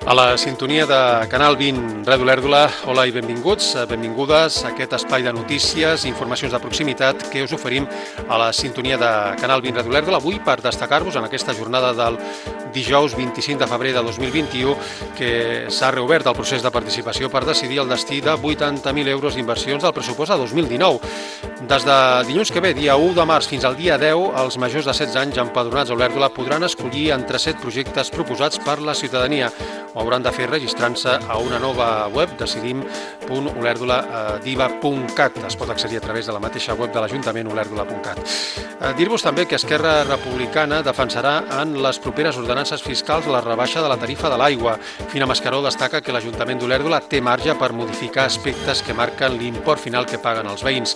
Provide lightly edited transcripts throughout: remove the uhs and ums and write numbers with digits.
A la sintonia de Canal 20 Ràdio Olèrdola, hola i benvinguts, benvingudes a aquest espai de notícies i informacions de proximitat que us oferim a la sintonia de Canal 20 Ràdio Olèrdola. Avui per destacar-vos en aquesta jornada del dijous 25 de febrer de 2021 que s'ha reobert el procés de participació per decidir el destí de 80.000 euros d'inversions del pressupost de 2019. Des de dilluns que ve, dia 1 de març fins al dia 10, els majors de 16 anys empadronats a Olèrdola podran escollir entre 7 projectes proposats per la ciutadania. Ho hauran de fer registrant-se a una nova web, decidim.olerdoladiva.cat. Es pot accedir a través de la mateixa web de l'Ajuntament, olèrdola.cat. Dir-vos també que Esquerra Republicana defensarà en les properes ordenances fiscals la rebaixa de la tarifa de l'aigua. Fina Mascaró destaca que l'Ajuntament d'Olèrdola té marge per modificar aspectes que marquen l'import final que paguen els veïns.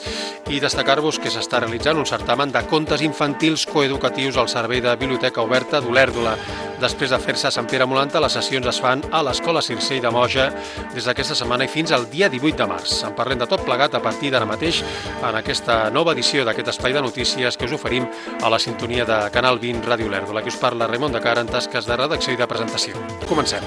I destacar-vos que s'està realitzant un certamen de contes infantils coeducatius al Servei de Biblioteca Oberta d'Olèrdola. Després de fer-se a Sant Pere Molanta, les sessions es fan a l'Escola Circell de Moja des d'aquesta setmana i fins al dia 18 de març. En parlem de tot plegat a partir d'ara mateix en aquesta nova edició d'aquest espai de notícies que us oferim a la sintonia de Canal 20 Ràdio Olèrdola. Aquí us parla Raimon de Cara en tasques de redacció i de presentació. Comencem.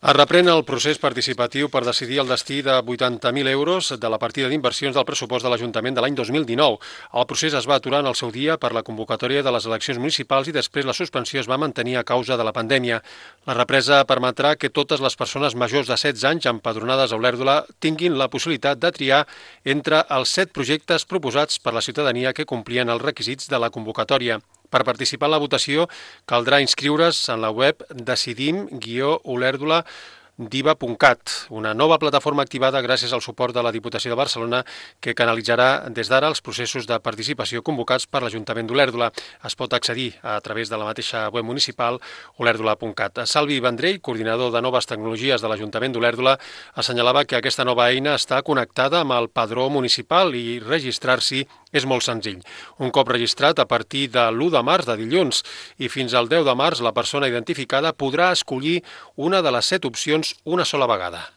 Es reprèn el procés participatiu per decidir el destí de 80.000 euros de la partida d'inversions del pressupost de l'Ajuntament de l'any 2019. El procés es va aturar en el seu dia per la convocatòria de les eleccions municipals i després la suspensió es va mantenir a causa de la pandèmia. La represa permetrà que totes les persones majors de 16 anys empadronades a Olèrdola tinguin la possibilitat de triar entre els 7 projectes proposats per la ciutadania que complien els requisits de la convocatòria. Per participar en la votació caldrà inscriure's en la web decidim-olerdoladiva.cat, una nova plataforma activada gràcies al suport de la Diputació de Barcelona que canalitzarà des d'ara els processos de participació convocats per l'Ajuntament d'Olèrdola. Es pot accedir a través de la mateixa web municipal olèrdola.cat. Salvi Vendrell, coordinador de noves tecnologies de l'Ajuntament d'Olèrdola, assenyalava que aquesta nova eina està connectada amb el padró municipal i registrar-s'hi és molt senzill. Un cop registrat, a partir de l'1 de març de dilluns i fins al 10 de març, la persona identificada podrà escollir una de les 7 opcions una sola vegada.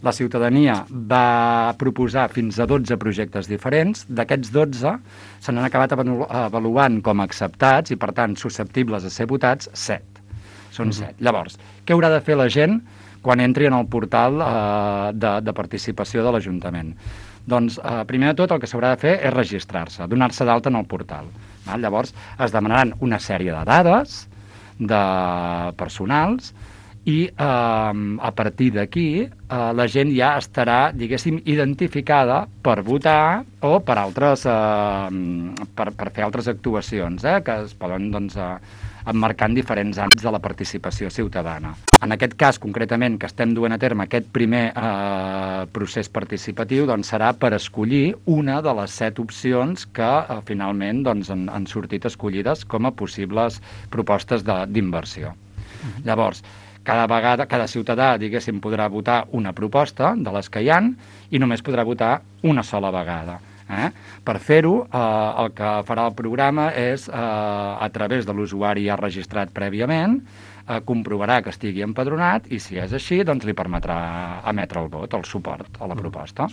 La ciutadania va proposar fins a 12 projectes diferents. D'aquests 12 se n'han acabat avaluant com a acceptats i, per tant, susceptibles a ser votats 7. Són 7. Llavors, què haurà de fer la gent quan entri en el portal de participació de l'Ajuntament? Doncs, primer de tot, el que s'haurà de fer és registrar-se, donar-se d'alta en el portal. Llavors, es demanaran una sèrie de dades personals i a partir d'aquí la gent ja estarà, diguéssim, identificada per votar o per fer altres actuacions que es poden, doncs, emmarcar en diferents àmbits de la participació ciutadana. En aquest cas, concretament, que estem duent a terme aquest primer procés participatiu, doncs serà per escollir una de les 7 opcions que finalment doncs, han sortit escollides com a possibles propostes d'inversió. Llavors, cada ciutadà, diguéssim, podrà votar una proposta de les que hi ha i només podrà votar una sola vegada. Per fer-ho, el que farà el programa és, a través de l'usuari ja registrat prèviament, comprovarà que estigui empadronat i, si és així, doncs li permetrà emetre el vot, el suport a la proposta.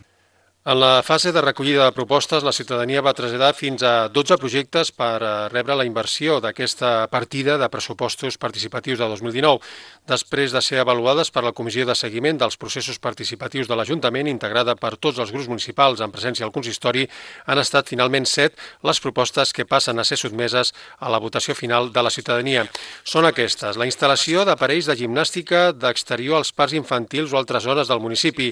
En la fase de recollida de propostes, la ciutadania va traslladar fins a 12 projectes per rebre la inversió d'aquesta partida de pressupostos participatius de 2019, després de ser avaluades per la Comissió de Seguiment dels Processos Participatius de l'Ajuntament, integrada per tots els grups municipals en presència al consistori. Han estat finalment 7 les propostes que passen a ser sotmeses a la votació final de la ciutadania. Són aquestes: la instal·lació d'aparells de gimnàstica d'exterior als parcs infantils o altres zones del municipi,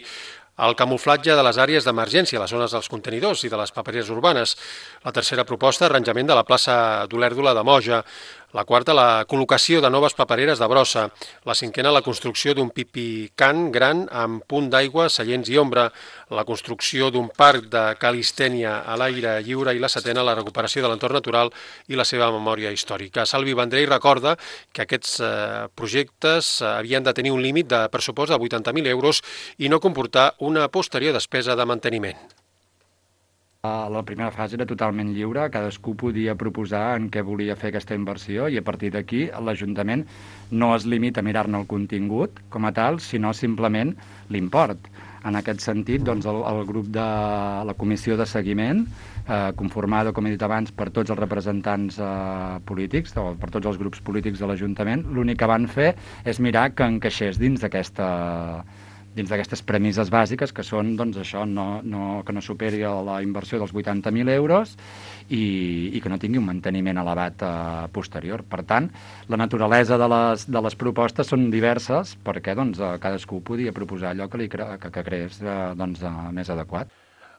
el camuflatge de les àrees d'emergència, les zones dels contenidors i de les papereres urbanes. La tercera proposta, arranjament de la plaça d'Olèrdola de Moja. La quarta, la col·locació de noves papereres de brossa. La cinquena, la construcció d'un pipicant gran amb punt d'aigua, seients i ombra. La construcció d'un parc de calistènia a l'aire lliure. I la setena, la recuperació de l'entorn natural i la seva memòria històrica. Salvi Vendrell recorda que aquests projectes havien de tenir un límit de pressupost de 80.000 euros i no comportar una posterior despesa de manteniment. La primera fase era totalment lliure, cadascú podia proposar en què volia fer aquesta inversió i a partir d'aquí l'Ajuntament no es limita a mirar-ne el contingut com a tal, sinó simplement l'import. En aquest sentit, doncs, el grup de la comissió de seguiment, conformada, com he dit abans, per tots els representants polítics, o per tots els grups polítics de l'Ajuntament, l'únic que van fer és mirar que encaixés dins d'aquestes premisses bàsiques, que són doncs, això, que no superi la inversió dels 80.000 euros i que no tingui un manteniment elevat posterior. Per tant, la naturalesa de les propostes són diverses perquè doncs, cadascú podia proposar allò que creés doncs, més adequat.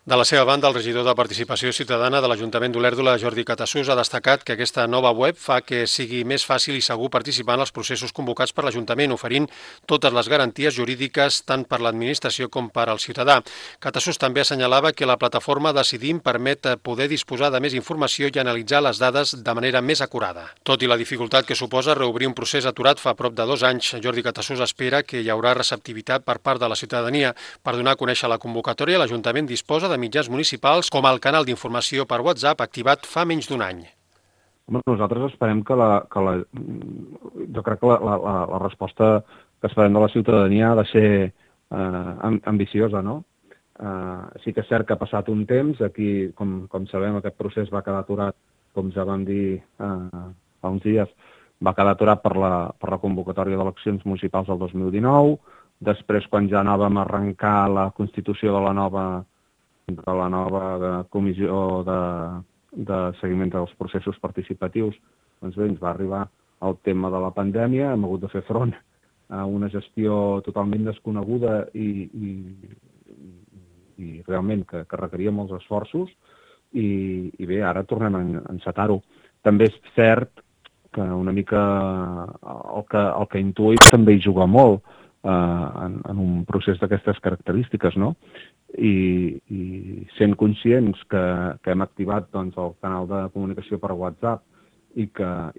De la seva banda, el regidor de Participació Ciutadana de l'Ajuntament d'Olèrdola, Jordi Catassús, ha destacat que aquesta nova web fa que sigui més fàcil i segur participar en els processos convocats per l'Ajuntament, oferint totes les garanties jurídiques tant per l'administració com per al ciutadà. Catassús també assenyalava que la plataforma Decidim permet poder disposar de més informació i analitzar les dades de manera més acurada. Tot i la dificultat que suposa reobrir un procés aturat fa prop de 2 anys, Jordi Catassús espera que hi haurà receptivitat per part de la ciutadania. Per donar a conèixer la convocatòria, l'Ajuntament disposa de mitjans municipals com el canal d'informació per WhatsApp activat fa menys d'1 any. Nosaltres esperem que jo crec que la resposta que esperem de la ciutadania ha de ser ambiciosa, no? Sí que és cert que ha passat un temps, aquí, com sabem, aquest procés va quedar aturat, com ja vam dir fa uns dies, va quedar aturat per la convocatòria d'eleccions municipals del 2019, després quan ja anàvem a arrencar la constitució de la nova comissió de seguiment dels processos participatius, doncs bé, ens va arribar el tema de la pandèmia, hem hagut de fer front a una gestió totalment desconeguda i realment que requeria molts esforços i bé, ara tornem a encetar-ho. També és cert que una mica el que intuïm també hi juga molt en un procés d'aquestes característiques, no? I sent conscients que hem activat doncs, el canal de comunicació per WhatsApp i que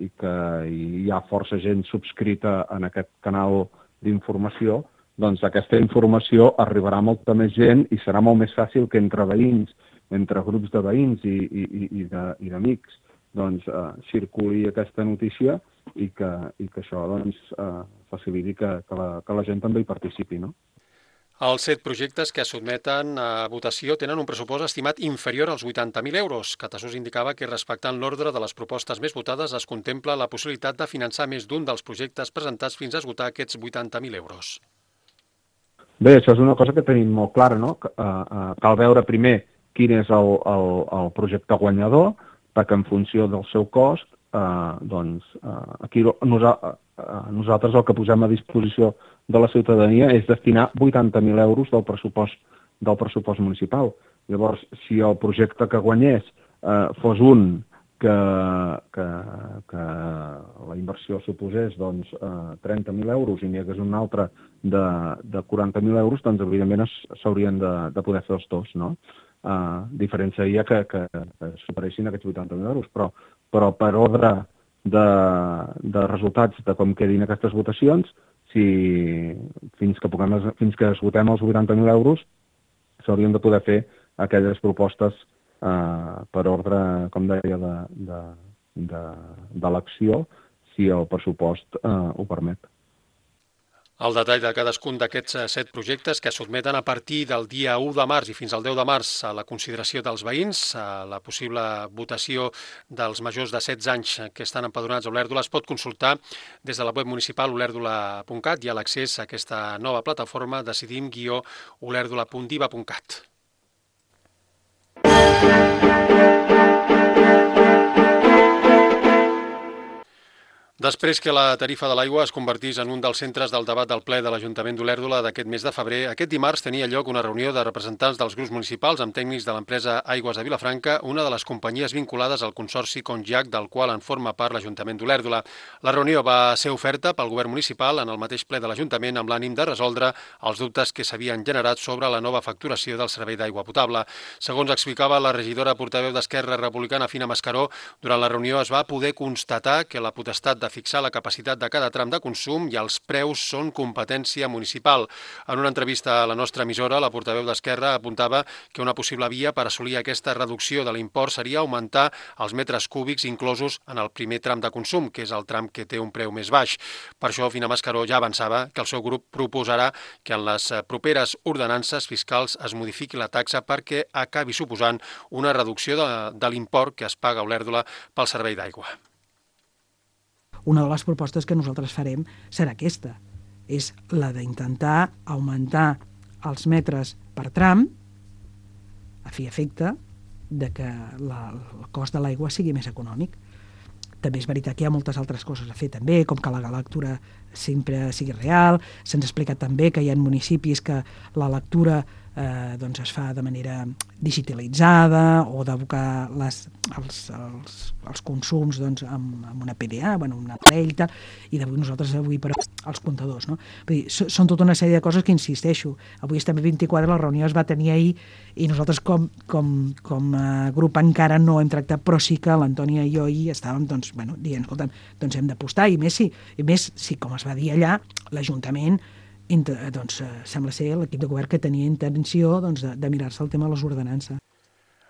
hi ha força gent subscrita en aquest canal d'informació, doncs aquesta informació arribarà a molta més gent i serà molt més fàcil que entre veïns, entre grups de veïns i d'amics, doncs circuli aquesta notícia i que això doncs, faciliti que la gent també hi participi, no? Els 7 projectes que es sotmeten a votació tenen un pressupost estimat inferior als 80.000 euros. Catassús indicava que, respectant l'ordre de les propostes més votades, es contempla la possibilitat de finançar més d'un dels projectes presentats fins a esgotar aquests 80.000 euros. Bé, això és una cosa que tenim molt clara, no? Cal veure primer quin és el projecte guanyador, perquè en funció del seu cost, doncs aquí nosaltres el que posem a disposició de la ciutadania és destinar 80.000 euros del pressupost municipal. Llavors, si el projecte que guanyés fos un que la inversió suposés doncs, 30.000 euros i n'hi hagués un altre de 40.000 euros, doncs evidentment s'haurien de poder fer els dos, no? Diferència seria que superessin aquests 80.000 euros, però per ordre de resultats de com quedin aquestes votacions, fins que esgotem els 80.000 euros, s'haurien de poder fer aquelles propostes per ordre, com deia, d'elecció, si el pressupost ho permet. El detall de cadascun d'aquests 7 projectes que es sotmeten a partir del dia 1 de març i fins al 10 de març a la consideració dels veïns, a la possible votació dels majors de 16 anys que estan empadronats a Olèrdola, es pot consultar des de la web municipal olèrdola.cat i a l'accés a aquesta nova plataforma decidim-olèrdola.diva.cat. Després que la tarifa de l'aigua es convertís en un dels centres del debat del ple de l'Ajuntament d'Olèrdola d'aquest mes de febrer, aquest dimarts tenia lloc una reunió de representants dels grups municipals amb tècnics de l'empresa Aigües de Vilafranca, una de les companyies vinculades al consorci Congiac, del qual en forma part l'Ajuntament d'Olèrdola. La reunió va ser oferta pel govern municipal en el mateix ple de l'Ajuntament amb l'ànim de resoldre els dubtes que s'havien generat sobre la nova facturació del servei d'aigua potable. Segons explicava la regidora portaveu d'Esquerra Republicana, Fina Mascaró, durant la reunió es va poder constatar que la potestat de de fixar la capacitat de cada tram de consum i els preus són competència municipal. En una entrevista a la nostra emissora, la portaveu d'Esquerra apuntava que una possible via per assolir aquesta reducció de l'import seria augmentar els metres cúbics inclosos en el primer tram de consum, que és el tram que té un preu més baix. Per això, Fina Mascaró ja avançava que el seu grup proposarà que en les properes ordenances fiscals es modifiqui la taxa perquè acabi suposant una reducció de l'import que es paga a Olèrdola pel servei d'aigua. Una de les propostes que nosaltres farem serà aquesta, és la d'intentar augmentar els metres per tram a fi i efecte de que el cost de l'aigua sigui més econòmic. També és veritat que hi ha moltes altres coses a fer també, com que la lectura sempre sigui real. Se'ns ha explicat també que hi ha municipis que la lectura doncs es fa de manera digitalitzada o d'abocar els consums doncs, amb una PDA, un aparell, tal, i nosaltres avui per als comptadors. No? Vull dir, són tota una sèrie de coses que insisteixo. Avui estem a 24, la reunió es va tenir ahir i nosaltres com a grup encara no hem tractat, però sí que l'Antònia i jo ahir estàvem dient, escolta'm, doncs hem d'apostar, i més si, com es va dir allà, l'Ajuntament sembla ser l'equip de govern que tenia intenció de mirar-se el tema de les ordenances.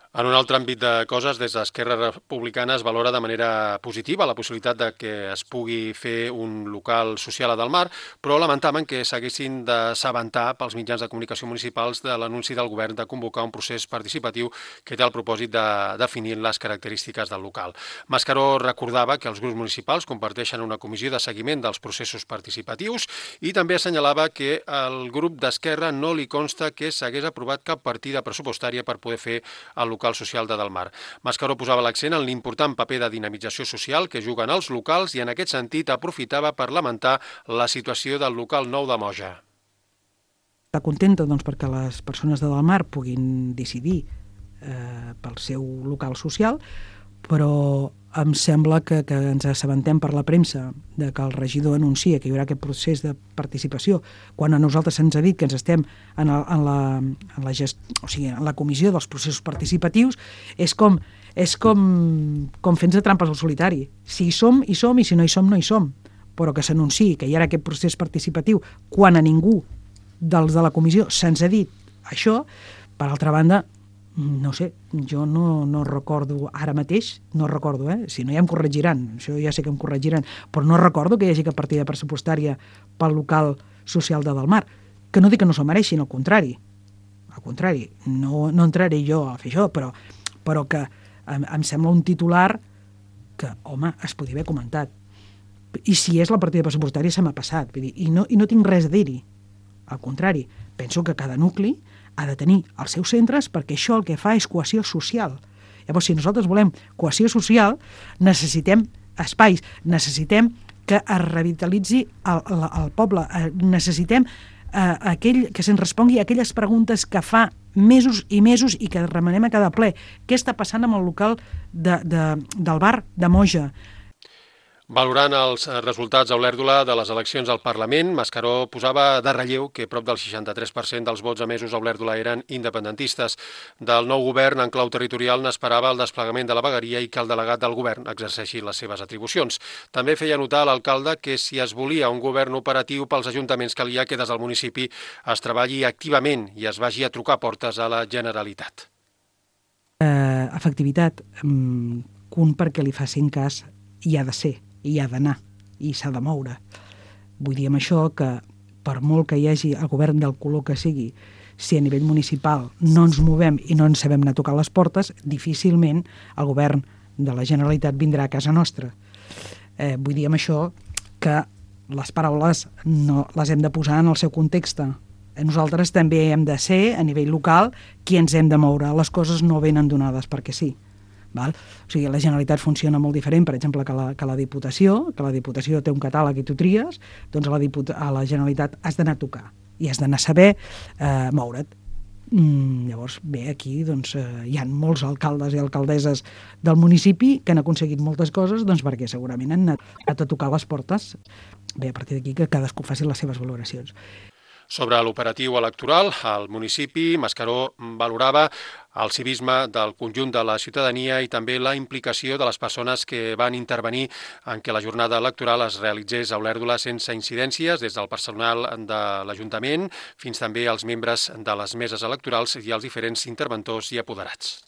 En un altre àmbit de coses, des d'Esquerra Republicana es valora de manera positiva la possibilitat de que es pugui fer un local social a Delmar, però lamentaven que s'haguessin d'assabentar pels mitjans de comunicació municipals de l'anunci del govern de convocar un procés participatiu que té el propòsit de definir les característiques del local. Mascaró recordava que els grups municipals comparteixen una comissió de seguiment dels processos participatius i també assenyalava que al grup d'Esquerra no li consta que s'hagués aprovat cap partida pressupostària per poder fer el local social de Delmar. Mascaró posava l'accent en l'important paper de dinamització social que juguen els locals i en aquest sentit aprofitava per lamentar la situació del local nou de Moja. Està contenta perquè les persones de Delmar puguin decidir pel seu local social, però em sembla que ens assabentem per la premsa de que el regidor anuncia que hi haurà aquest procés de participació, quan a nosaltres se'ns ha dit que ens estem en la comissió dels processos participatius, és com fent-se trampes al solitari. Si hi som, hi som, i si no hi som, no hi som. Però que s'anunciï que hi ha aquest procés participatiu quan a ningú dels de la comissió se'ns ha dit això, per altra banda, no sé, jo no recordo ara mateix, si no ja em corregiran, això ja sé que em corregiran, però no recordo que hi hagi cap partida pressupostària pel local social de Delmar, que no dic que no s'ho mereixin, al contrari, no entraré jo a fer això, però que em sembla un titular que, home, es podia haver comentat. I si és la partida pressupostària se m'ha passat, vull dir, i no tinc res a dir-hi, al contrari, penso que cada nucli ha de tenir els seus centres perquè això el que fa és cohesió social. Llavors, si nosaltres volem cohesió social, necessitem espais, necessitem que es revitalitzi el poble, necessitem que se'ns respongui a aquelles preguntes que fa mesos i mesos i que remenem a cada ple. Què està passant amb el local del bar de Moja? Valorant els resultats a Olèrdola de les eleccions al Parlament, Mascaró posava de relleu que prop del 63% dels vots emesos a Olèrdola eren independentistes. Del nou govern en clau territorial n'esperava el desplegament de la vegueria i que el delegat del govern exerceixi les seves atribucions. També feia notar a l'alcalde que si es volia un govern operatiu pels ajuntaments calia que des del municipi es treballi activament i es vagi a trucar portes a la Generalitat. Efectivitat, perquè li facin cas hi ha de ser, i ha d'anar, i s'ha de moure. Vull dir amb això que per molt que hi hagi el govern del color que sigui, si a nivell municipal no ens movem i no ens sabem anar a tocar les portes, difícilment el govern de la Generalitat vindrà a casa nostra. Vull dir amb això que les paraules no les hem de posar en el seu context. Nosaltres també hem de ser, a nivell local, qui ens hem de moure. Les coses no venen donades perquè sí. Val? O sigui, la Generalitat funciona molt diferent, per exemple, que la Diputació, té un catàleg i tu tries, doncs a la Generalitat has d'anar a tocar i has d'anar a saber moure't. Llavors, bé, aquí doncs, hi ha molts alcaldes i alcaldesses del municipi que han aconseguit moltes coses doncs, perquè segurament han anat a tocar les portes. Bé, a partir d'aquí que cadascú faci les seves valoracions. Sobre l'operatiu electoral, el municipi Mascaró valorava el civisme del conjunt de la ciutadania i també la implicació de les persones que van intervenir en què la jornada electoral es realitzés a Olèrdola sense incidències, des del personal de l'Ajuntament fins també als membres de les meses electorals i els diferents interventors i apoderats.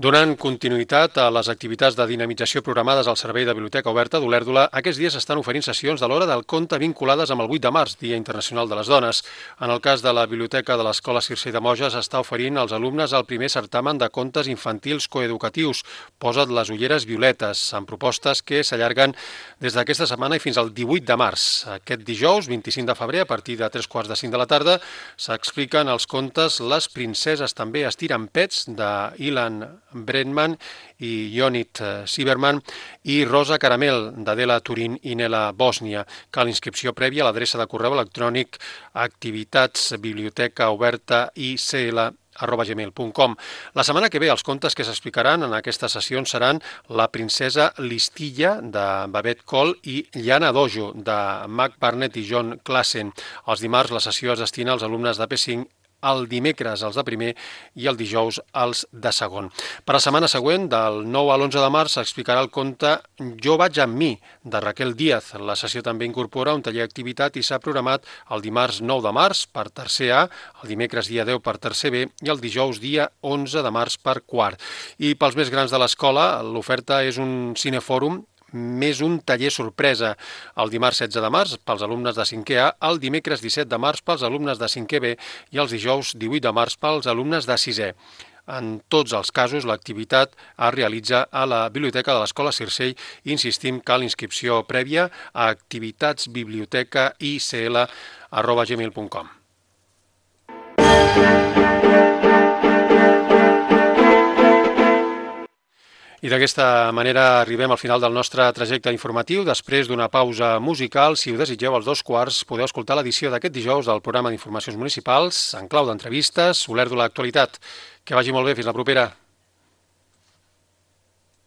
Donant continuïtat a les activitats de dinamització programades al Servei de Biblioteca Oberta d'Olèrdola, aquests dies estan oferint sessions de l'Hora del Conte vinculades amb el 8 de març, Dia Internacional de les Dones. En el cas de la Biblioteca de l'Escola Circé de Moges està oferint als alumnes el primer certamen de contes infantils coeducatius, Posa't les ulleres violetes, amb propostes que s'allarguen des d'aquesta setmana i fins al 18 de març. Aquest dijous, 25 de febrer, a partir de 3:45 de la tarda, s'expliquen els contes Les princeses també estiren pets, de Ilan Bredman i Jonit Sieberman i Rosa Caramel, d'Adela Turín i Nela Bòsnia. Cal inscripció prèvia a l'adreça de correu electrònic activitatsbibliotecaobertaicl@gmail.com. La setmana que ve els contes que s'explicaran en aquestes sessions seran La princesa Listilla, de Babette Cole, i Llana Dojo, de Mac Barnett i John Klassen. Els dimarts la sessió es destina als alumnes de P5, el dimecres els de primer i el dijous els de segon. Per la setmana següent, del 9 a l'11 de març, s'explicarà el conte Jo vaig amb mi, de Raquel Díaz. La sessió també incorpora un taller d'activitat i s'ha programat el dimarts 9 de març per tercer A, el dimecres dia 10 per tercer B i el dijous dia 11 de març per quart. I pels més grans de l'escola, l'oferta és un cinefòrum més un taller sorpresa, el dimarts 16 de març pels alumnes de 5è A, el dimecres 17 de març pels alumnes de 5è B i els dijous 18 de març pels alumnes de 6è. En tots els casos, l'activitat es realitza a la Biblioteca de l'Escola Circell. Insistim, cal inscripció prèvia a activitatsbibliotecaicl@gmail.com. I d'aquesta manera arribem al final del nostre trajecte informatiu. Després d'una pausa musical, si ho desitgeu, als 2:15 podeu escoltar l'edició d'aquest dijous del programa d'informacions municipals en clau d'entrevistes, Olèrdola Actualitat. Que vagi molt bé, fins la propera.